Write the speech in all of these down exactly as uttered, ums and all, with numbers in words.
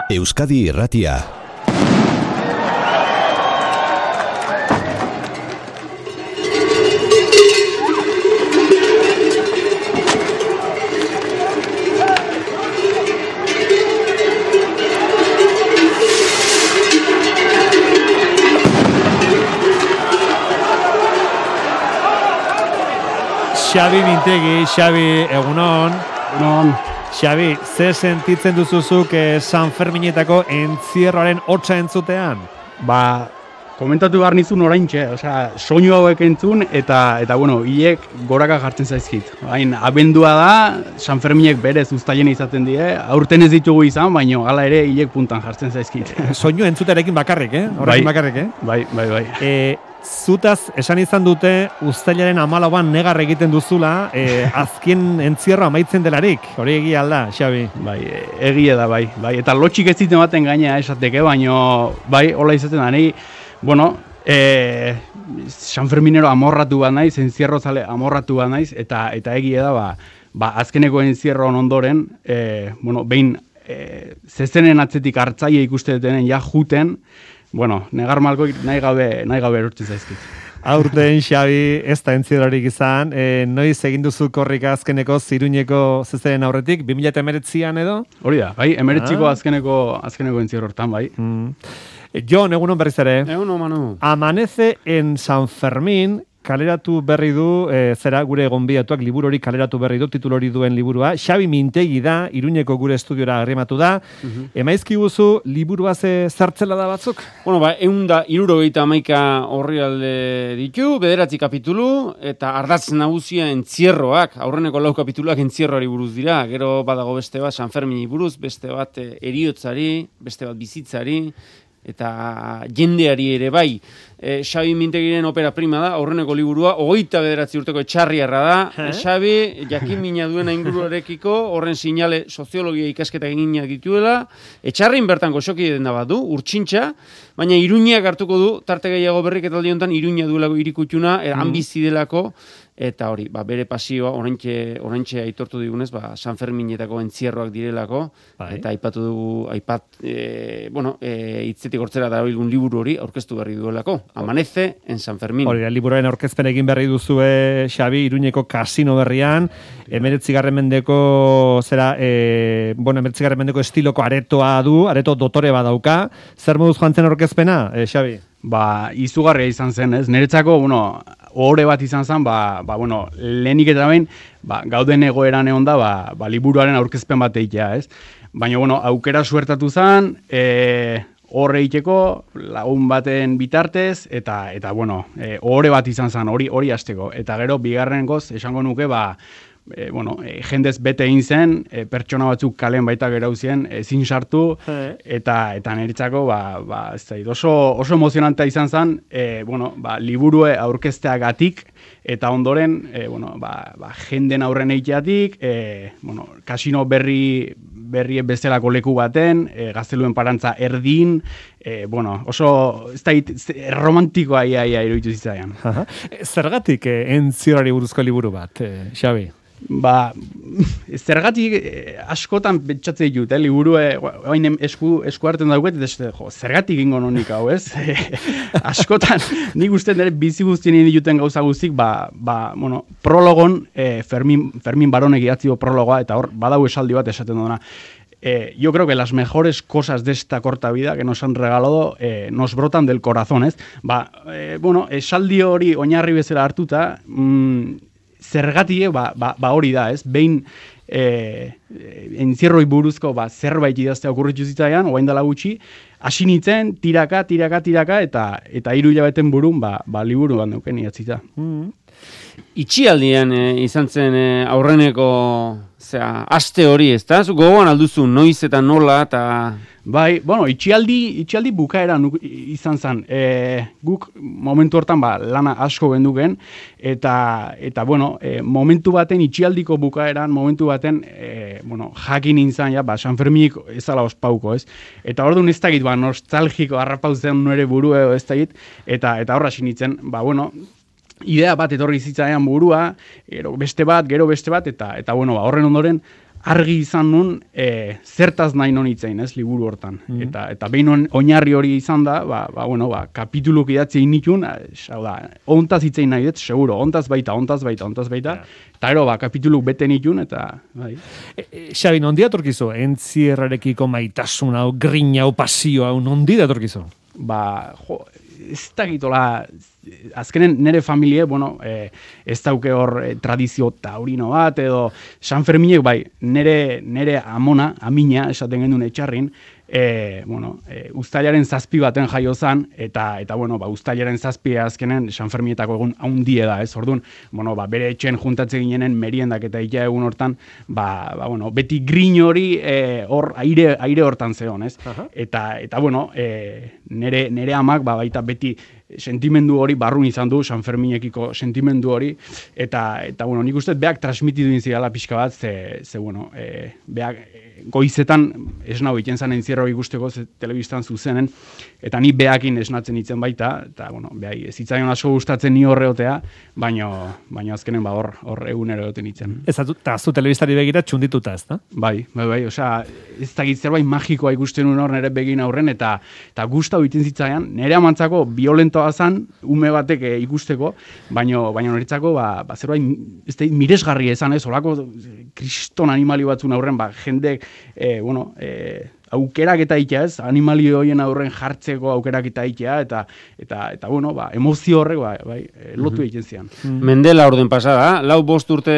Euskadi Irratia. Xabi Mintegi, Xabi, egunon. Egunon. Xabi, ze sentitzen duzuzuk eh, San Ferminetako entzierroaren hotza entzutean? Ba, komentatu behar nizun oraintxe, osea, soinu hauek entzun, eta, eta bueno, hilek goraka jartzen zaizkit. Hain, abendua da, San Ferminek berez uztaien izaten die, aurten ez ditugu izan, baina hala ere hilek puntan jartzen zaizkit. Soinu entzutearekin bakarrik, eh? Horrekin Bai. bakarrik, eh? Bai, bai, bai. E, zutaz, esan izan dute, uztailaren hamalauan negar egiten duzula, e, azken entzierro amaitzen delarik. Hori egia alda, Xabi? Bai, egia da, bai. bai. Eta lotxik ez ziten baten gaina esateke, baina bai, hola izaten da, nahi, bueno, e, San Ferminero amorratu bat naiz, entzierro zale amorratu bat naiz, eta, eta egia da, ba, ba, azkeneko entzierro ondoren, e, bueno, behin e, zezenen atzetik hartzaile ikuste dutenen ja juten, bueno, negar malko nahi gabe, nahi gabe erurtzen zaizkit. Aurten, Xabi, ez da entzierrorik izan, e, noiz egin duzu korrika azkeneko ziruñeko zezeren aurretik, bi mila emeretzian edo? Hori da, bai, emeretziko Ah. azkeneko, azkeneko entzierro hortan, bai. Mm. Jon, egunon berriz ere. Egunon, Manu. Amanece en San Fermín, kaleratu berri du, e, zera gure gonbidatuak liburu hori kaleratu berri du, titulu hori duen liburua. Xabi Mintegi da, Iruñeko gure estudiora arrimatu da. Uh-huh. Emaizki guzu, liburua ze zartzela da batzuk? Bueno, ba, egun da, irurogeita amaika horri alde ditu, bederatzi kapitulu, eta ardatz nagusia entzierroak, aurreneko lau kapituluak entzierroari buruz dira, gero badago beste bat San Fermini buruz, beste bat e, eriotzari, beste bat bizitzari, eta jendeari ere bai. E, Xabi Mintegiren opera prima da, aurreneko liburua, hogeita bederatzi urteko etxarriarra da. Eh? Xabi, jakin mina duena inguruarekiko, horren sinale soziologia ikasketak eginak dituela, etxarrin bertan goxoki den da bat du, urtsintxa, baina Iruñak hartuko du, tarte gehiago berriketaldi honetan, Iruña duelako irikutuna, mm. ambizi delako, eta hori, ba, bere pasioa, oraintxe, oraintxe aitortu digunez, ba, San Ferminetako entzierroak direlako, bai. Eta aipatu dugu, aipat, e, bueno, e, hitzetik hortzera darabilgun liburu hori aurkeztu berri duelako. Amanece en San Fermín. Hori, liburuaren aurkezpen egin berri duzue, Xabi, Iruñeko kasino berrian, emeretzigarren mendeko, zera, e, bueno, emeretzigarren mendeko estiloko aretoa du, areto dotore badauka. Zer moduz joan zen aurkezpena, e, Xabi? Ba, izugarria izan zen, ez? Niretzako, bueno, ohore bat izan zen, ba, ba bueno, lehenik eta behin, ba, gauden egoeran egon da, ba, ba, liburuaren aurkezpen bat egitea, ez? Baina, bueno, aukera suertatu zen, e, horre egiteko, lagun baten bitartez, eta, eta bueno, e, ohore bat izan zen, hori hori hasteko. Eta gero, bigarren goz, esango nuke, ba, E, bueno, e, jendez bete egin zen, e, pertsona batzuk kalen baita gerauzien, ezin sartu, eta eta niretzako ba, ba, ez da, oso, oso emozionantea izan zen, e, bueno, ba, liburue aurkezteagatik, eta ondoren, e, bueno, ba, ba, jenden aurren egiteatik, e, bueno, kasino berri berri bezalako leku baten, e, gazteluen parantza erdin, e, bueno, oso, ez da, romantikoa ia, ia iruditu zitzaian. Zergatik eh, entzierroari buruzko liburu bat, eh, Xabi? Ba, zergatik eh, askotan pentsatzen ditut, eh, liburu eh, oain esku, esku hartzen dauket, eta jo, zergatik ingo nonik hau, ez? Askotan, nik uste nire bizi guztien dituten gauza guztik, ba, ba, bueno, prologon, eh, Fermin, Fermin Baronek idatzio prologoa, eta hor, badau esaldi bat esaten duna. Eh, yo creo que las mejores cosas de esta corta vida que nos han regalado eh, nos brotan del corazón, ez? Ba, eh, bueno, esaldi hori oinarri bezala hartuta, mm, zergatik, ba, ba, ba hori da, ez? Behin e, entzierroi buruzko ba, zerbait idaztea okurritu zitzaian, orain dela gutxi, hasi nintzen, tiraka, tiraka, tiraka, eta eta hiru hilabeten burun, ba, ba liburu bat neuken idatzita. Mm. Itxialdian e, izan zen e, aurreneko zera, aste hori, ez da? Gogoan alduzu, noiz eta nola, eta... Bai, bueno, itxialdi, itxialdi bukaera nuk, izan zen. E, guk momentu hortan ba, lana asko genduken, eta, eta bueno, e, momentu baten, itxialdiko bukaeran, momentu baten, e, bueno, jakin nintzen, ja, ba, San Ferminik ezala ospauko, ez? Eta orduan ez dakit, ba, nostalgiko harrapauzen nire buru edo ez dakit, eta, eta horra sinitzen, ba, bueno, idea bat etorri zitzaian burua, gero beste bat, gero beste bat, eta eta bueno, ba, horren ondoren argi izan nun e, zertaz nahi non itzein, ez, liburu hortan. Mm. Eta eta behin on, oinarri hori izan da, ba, ba, bueno, ba, kapituluk idatzi initun, hau da, ontaz itzein nahi dut, seguro, ontaz baita, ontaz baita, ontaz baita, yeah. Eta ero, ba, kapituluk bete nitun, eta, bai. E, e, Xabi, nondi atorkizu, entzierrarekiko maitasun hau, grina hau, pasio hau, nondi atorkizu? Ba, jo, ez dakitola, azkenen nire familie, bueno, eh, ez dauke hor eh, tradizio taurino bat, edo San Ferminek, bai, nire, nire amona, amina, esaten gendun etxarrin, e, bueno, e, uztailaren zazpi baten jaio zan, eta, eta bueno, ba, uztailaren zazpi azkenen San Fermietako egun haundie da, ez, orduan, bueno, ba, bere etxen juntatze ginenen meriendak eta ita egun hortan, ba, ba, bueno, beti grin hori hor e, aire, aire hortan zeon, ez, uh-huh. eta, eta, bueno, e, nere, nere amak, ba, baita beti sentimendu hori barrun izan du, San Ferminekiko sentimendu hori, eta, eta bueno, nik uste beak transmitidu inzigala pixka bat, ze, ze bueno, e, beak goizetan esnau iten zan entzierro ikusteko telebistan zuzenen, eta ni beakin esnatzen itzen baita, eta bueno, behai, ez itzaion asko gustatzen ni horreotea, baino, baino azkenen ba hor, hor egunero egoten itzen. Ez eta zu telebistari begira txundituta, ez da? Bai, bai, bai, osea, ez dakit zerbait magikoa ikusten un hor nire begin aurren, eta, eta gustau iten zitzaian, nire amantzako violentoa zan, ume batek e, ikusteko, baino, baino niretzako, ba, ba zerbait, ez da, miresgarri esan ez, olako kriston animali batzun aurren, ba, jendek, e, bueno, e, aukerak eta itea, ez, animali horien aurren jartzeko aukerak eta itea, eta, eta, eta bueno, ba, emozio horrek, ba, bai, lotu egiten zian. Mendela orden pasada, lau bost urte,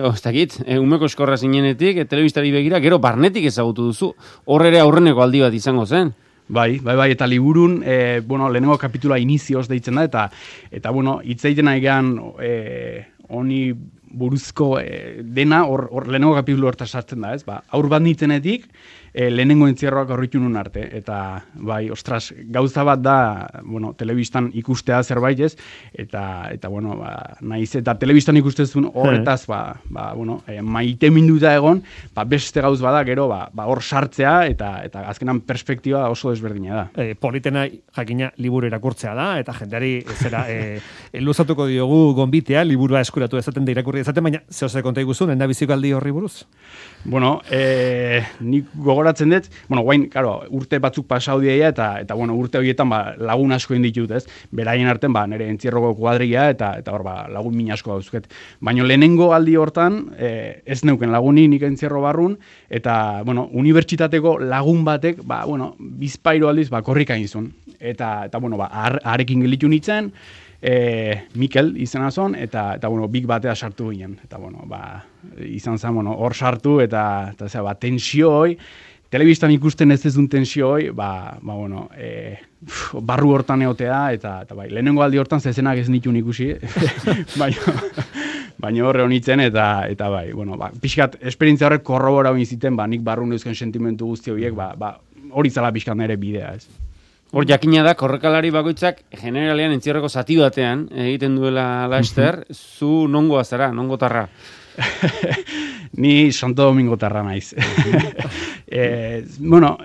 oh, ez dakit, e, umeko eskorra zinenetik, e, telebistari begira, gero barnetik ezagutu duzu, horre ere aurreneko aldi bat izango zen. Bai, bai, bai, eta liburun, e, bueno, lehenengo kapitula inizioz deitzen da, eta, eta bueno, hitzeiten nahi gehan, e, honi buruzko e, dena, hor, hor lehenengo kapitulu horta sartzen da, ez? Ba, aur bat nitzenetik, e, lehenengo entzierroak horritu nun arte, eta bai, ostras, gauza bat da, bueno, telebistan ikustea zerbait ez, eta, eta bueno, ba, naiz, eta telebistan ikustezun horretaz, ba, ba, bueno, e, maite minduta egon, ba, beste gauz bada, gero, ba, ba, hor sartzea, eta, eta azkenan perspektiba oso desberdina da. E, politena, jakina, liburu irakurtzea da, eta jendeari, zera, e, luzatuko diogu gonbitea, liburua eskuratu ezaten da irakurri ezaten, baina zehose konta iguzun, enda biziko aldi horri buruz? Bueno, e, nik gogoratzen dut, bueno, guain, claro, urte batzuk pasau dieia, eta, eta bueno, urte horietan ba, lagun asko inditut, ez? Beraien arten, ba, nire entzierroko kuadria, eta, eta hor, ba, lagun min asko dauzket. Baina lehenengo aldi hortan, e, ez neuken laguni nik entzierro barrun, eta, bueno, unibertsitateko lagun batek, ba, bueno, bizpairo aldiz, ba, korrika izun. Eta, eta bueno, ba, arekin gelitu nintzen, E, Mikel izena zon, eta, eta bueno, big batea sartu ginen. Eta, bueno, ba, izan zen, bueno, hor sartu, eta, eta zera, ba, tensio hoi, telebistan ikusten ez ezun tensio hoi, ba, ba, bueno, e, uf, barru hortan egotea, eta, eta bai, lehenengo aldi hortan zezenak ez nitun ikusi, baina, baina horre honitzen, eta, eta bai, bueno, ba, pixkat, esperientzia horrek korrobora hori ziten, ba, nik barru neuzken sentimentu guzti horiek, ba, ba, hori zala pixkat nire bidea, ez. Hor jakina da, korrekalari bakoitzak generalean entzierreko zati batean egiten duela laster, zu nongoa zara, nongotarra? Ni Santo Domingo tarra naiz. e, bueno,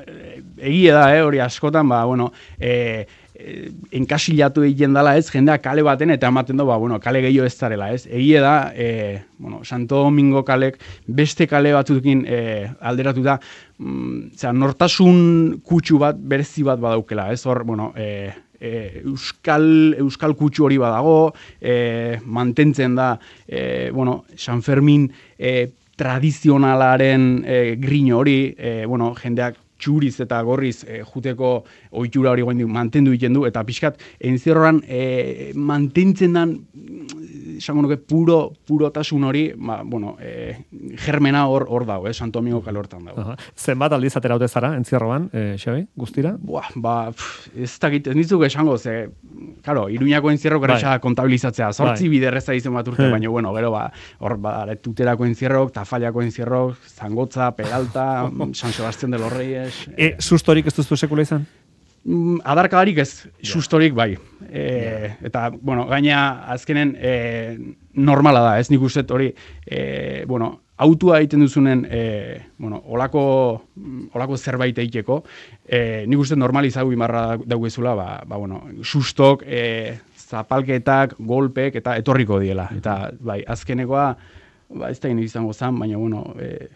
egia da, eh, hori askotan, ba, bueno, e, e, enkasilatu egiten dela, ez, jendea kale baten, eta ematen du, ba, bueno, kale gehiago ez zarela, ez. Egia da, e, bueno, Santo Domingo kalek beste kale batzukin e, alderatu da, mm, zera, nortasun kutsu bat, berezi bat badaukela, ez, hor, bueno, e, E, euskal, euskal kutsu hori badago, e, mantentzen da, e, bueno, San Fermin e, tradizionalaren e, grin hori, e, bueno, jendeak txuriz eta gorriz e, juteko ohitura hori goendik mantendu egiten du, eta pixkat, entzierroan e, mantentzen dan, esango nuke, puro, purotasun hori, ba, bueno, e, germena hor hor dago, eh, Santo Domingo kale hortan dago. Aha. Zenbat aldiz atera haute zara, entzierroan, e, Xabi, guztira? Buah, ba, pff, ez dakit, ez nitzuk esango, ze, karo, Iruñako entzierro geresa kontabilizatzea, sortzi bai. biderreza izen bat urte, baina, bueno, gero, ba, hor, ba, tuterako entzierrok, Tafallako entzierrok, Zangotza, Peralta, San Sebastián de los Reyes. E, sustorik ez duzu sekula izan? Adarkadarik ez, sustorik bai. E, yeah. Eta, bueno, gaina azkenen e, normala da, ez nik uste hori, e, bueno, autua egiten duzunen, e, bueno, olako, olako zerbait egiteko, e, nik uste normalizagu imarra dauguezula, ba, ba, bueno, sustok, e, zapalketak, golpek, eta etorriko diela. Eta, bai, azkenekoa, ba, ez da izango zan, baina, bueno, e,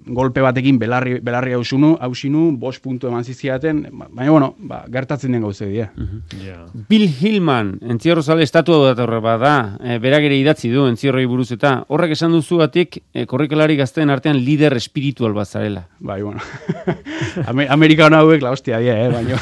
golpe batekin belarri, belarri hausinu, hausinu, bost puntu eman zizkiaten, baina, bueno, ba, gertatzen den gauze dira. Uh-huh. Yeah. Bill Hillman, entzierrozale estatua datorre bada, e, berak ere idatzi du entzierroi buruz eta horrek esan duzu batik, e, korrikalari gazteen artean lider espiritual bat zarela. Bai, bueno, Amerikano hauek la hostia dia, eh, baina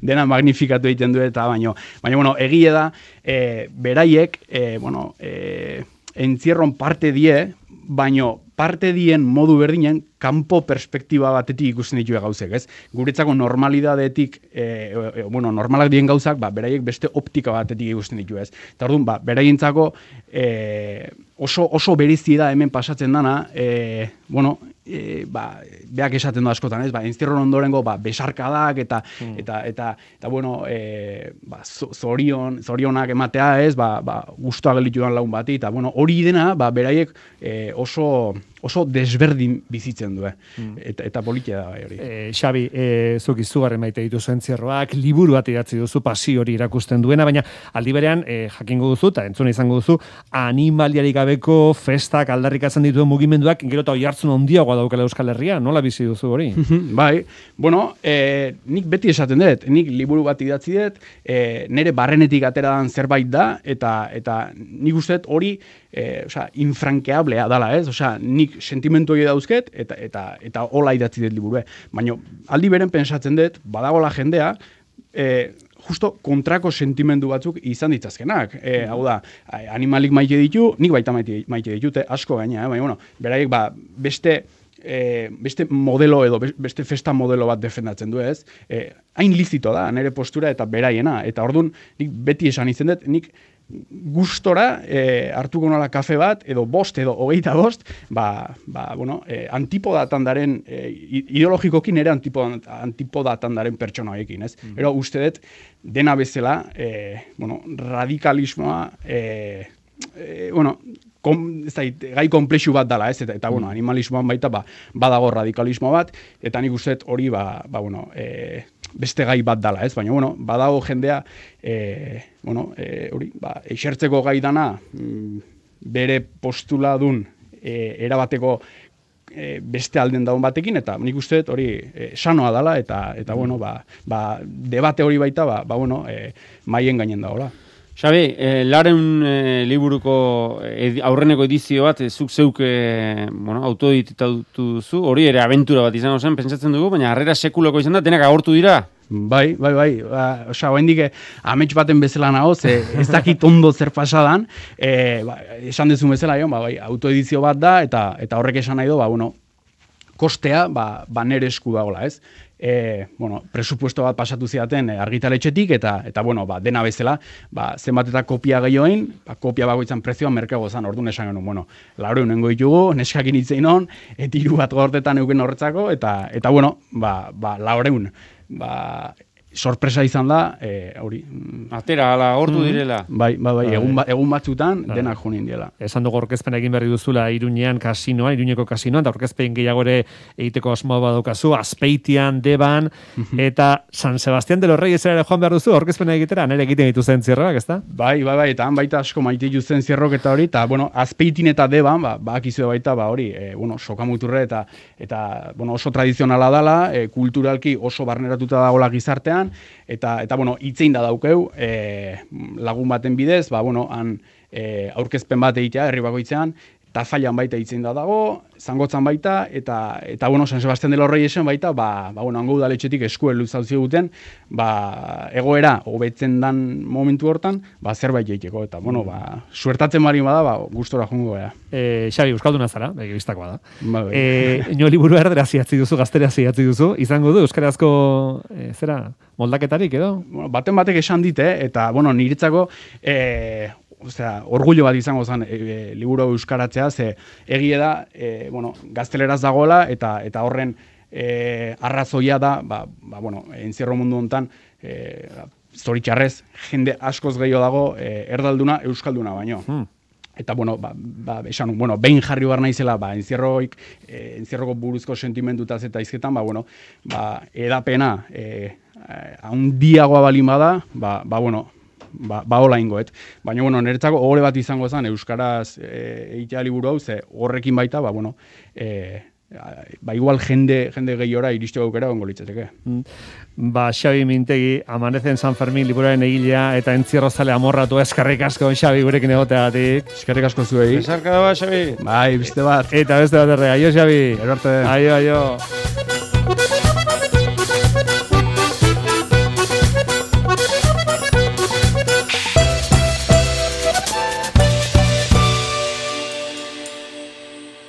dena magnifikatu egiten du eta baina, baina, bueno, egie da, e, beraiek, e, bueno, e, entzierron parte die, baino parte dien modu berdinen kanpo perspektiba batetik ikusten ditue gauzek, ez? Guretzako normalidadetik, e, e, bueno, normalak dien gauzak, ba, beraiek beste optika batetik ikusten ditu, ez? Eta orduan, ba, beraientzako e, oso, oso berezi da hemen pasatzen dana, e, bueno, e, ba, beak esaten du askotan, ez? Ba, entzierron ondorengo, ba, besarkadak eta, mm. eta, eta, eta, bueno, e, ba, zorion, zorionak ematea, ez? Ba, ba, guztua gelitudan lagun bati, eta, bueno, hori dena, ba, beraiek e, oso oso desberdin bizitzen du, eh? mm. eta, eta politia da hori. E, Xabi, e, zuk izugarren maite dituzu entzierroak, liburu bat idatzi duzu pasio hori irakusten duena, baina aldi berean e, jakingo duzu, eta entzuna izango duzu, animaliarik gabeko festak aldarrikatzen dituen mugimenduak, gero eta oihartzun handiagoa daukala Euskal Herria, nola bizi duzu hori? Bai, bueno, e, nik beti esaten dut, nik liburu bat idatzi dut, e, nire barrenetik atera dan zerbait da, eta, eta nik uste hori, e, osea, infrankeablea dala, ez? Osea, nik sentimentu hori dauzket, eta, eta, eta hola idatzi dut liburu. Baina aldi beren pentsatzen dut, badagola jendea, e, justo kontrako sentimendu batzuk izan ditzazkenak. E, hau da, animalik maite ditu, nik baita maite, maite ditute, asko gaina, eh? Baina, bueno, beraiek ba, beste, e, beste modelo edo, beste festa modelo bat defendatzen du, ez? E, hain lizito da, nire postura eta beraiena. Eta orduan, nik beti esan izan dut, nik gustora e, hartuko nola kafe bat, edo bost, edo hogeita bost, ba, ba, bueno, e, antipodatan daren, e, ideologikokin ere antipodatan, antipodatan daren pertsona hoiekin, ez? Mm. Ero, uste dut, dena bezala, e, bueno, radikalismoa, e, e, bueno, kom, ez da, gai komplexu bat dala, ez? Eta, eta bueno, animalismoan baita, ba, badago radikalismo bat, eta nik uste dut hori, ba, ba, bueno, e, beste gai bat dala, ez? Baina, bueno, badago jendea, e, bueno, e, hori, ba, eixertzeko gai dana, mm, bere postula dun, e, erabateko e, beste alden daun batekin, eta nik uste dut hori e, sanoa dala, eta, eta bueno, ba, ba, debate hori baita, ba, ba bueno, e, maien gainen dagoela. Xabi, eh, Laren eh, liburuko edi, aurreneko edizio bat, eh, zuk zeuk eh, bueno, autoeditatu duzu, hori ere abentura bat izango zen, pentsatzen dugu, baina harrera sekuloko izan da, denak agortu dira. Bai, bai, bai, ba, osea, oendik amets baten bezala nago, ze ez dakit ondo zer pasadan, e, ba, esan dezun bezala, jo, ba, bai, autoedizio bat da, eta eta horrek esan nahi du, ba, bueno, kostea, ba, ba nere esku dagoela, ez? E, bueno, presupuesto bat pasatu ziaten e, argitaletxetik, eta, eta bueno, ba, dena bezala, ba, zenbat eta kopia gehioin, ba, kopia bagoitzan prezioa merkeago zan, orduan esan genuen, bueno, laureun nengo ditugu, neskakin itzein hon, etiru bat gortetan euken horretzako, eta, eta bueno, ba, ba, laureun, ba, sorpresa izan da, e, hori. Atera, ala, hortu mm. direla. Bai, bai, bai, egun, ba, egun batzutan bai. Denak junin diela. Esan dugu orkezpen egin berri duzula Iruñean kasinoa, Iruñeko kasinoan, eta orkezpen gehiago ere egiteko asmoa badaukazu, Azpeitian, Deban, eta San Sebastián de los Reyes ere joan behar duzu, orkezpen egitera, nire egiten dituzen zierroak, ezta? Bai, bai, bai, eta han baita asko maite dituzen zierrok eta hori, eta, bueno, Azpeitin eta Deban, ba, bakizue baita, ba, hori, e, bueno, sokamuturre eta, eta, bueno, oso tradizionala dala, e, kulturalki oso barneratuta dagoela gizartean, eta eta bueno, hitzein da daukeu, e, lagun baten bidez, ba bueno, han e, aurkezpen bat egitea herri bakoitzean, Tafallan baita hitzein da dago, Zangotzan baita, eta eta bueno, San Sebastián de los Reyesen baita, ba ba bueno, hango udaletxetik eskuel luzatu ziguten, ba egoera hobetzen dan momentu hortan, ba zerbait egiteko eta bueno, ba suertatzen bari bada, ba gustora joango gara. Eh, Xabi, euskalduna zara, begibistakoa da. Ba, eh, ino liburu erderaz idatzi duzu, gazteraz idatzi duzu, izango du euskarazko eh, zera moldaketarik edo? Bueno, baten batek esan dit, eh, eta bueno, niretzako eh Osea, orgullo bat izango zen e, e, liburu euskaratzea, ze egie da, e, bueno, gazteleraz dagoela, eta eta horren e, arrazoia da, ba, ba, bueno, entzierro mundu hontan, e, zoritxarrez, jende askoz gehiago dago, e, erdalduna, euskalduna baino. Hmm. Eta, bueno, ba, ba, esan, bueno, behin jarri behar naizela, ba, entzierroik, e, entzierroko buruzko sentimentutaz eta izketan, ba, bueno, ba, edapena, e, handiagoa balin bada, ba, ba, bueno, ba, ba hola ingoet. Baina, bueno, niretzako ohore bat izango zen, euskaraz e, egitea liburu hau, ze horrekin baita, ba, bueno, e, ba, igual jende, jende gehiora iristeko aukera gongo litzateke. Ba, Xabi Mintegi, Amanece en San Fermín liburuaren egilea, eta entzierrozale amorratu, eskerrik asko, Xabi, gurekin egoteagatik. Eskerrik asko zuei. Besarka da ba, Xabi. Bai, beste bat. Eta beste bat erre, aio, Xabi. Gero arte. Aio, aio.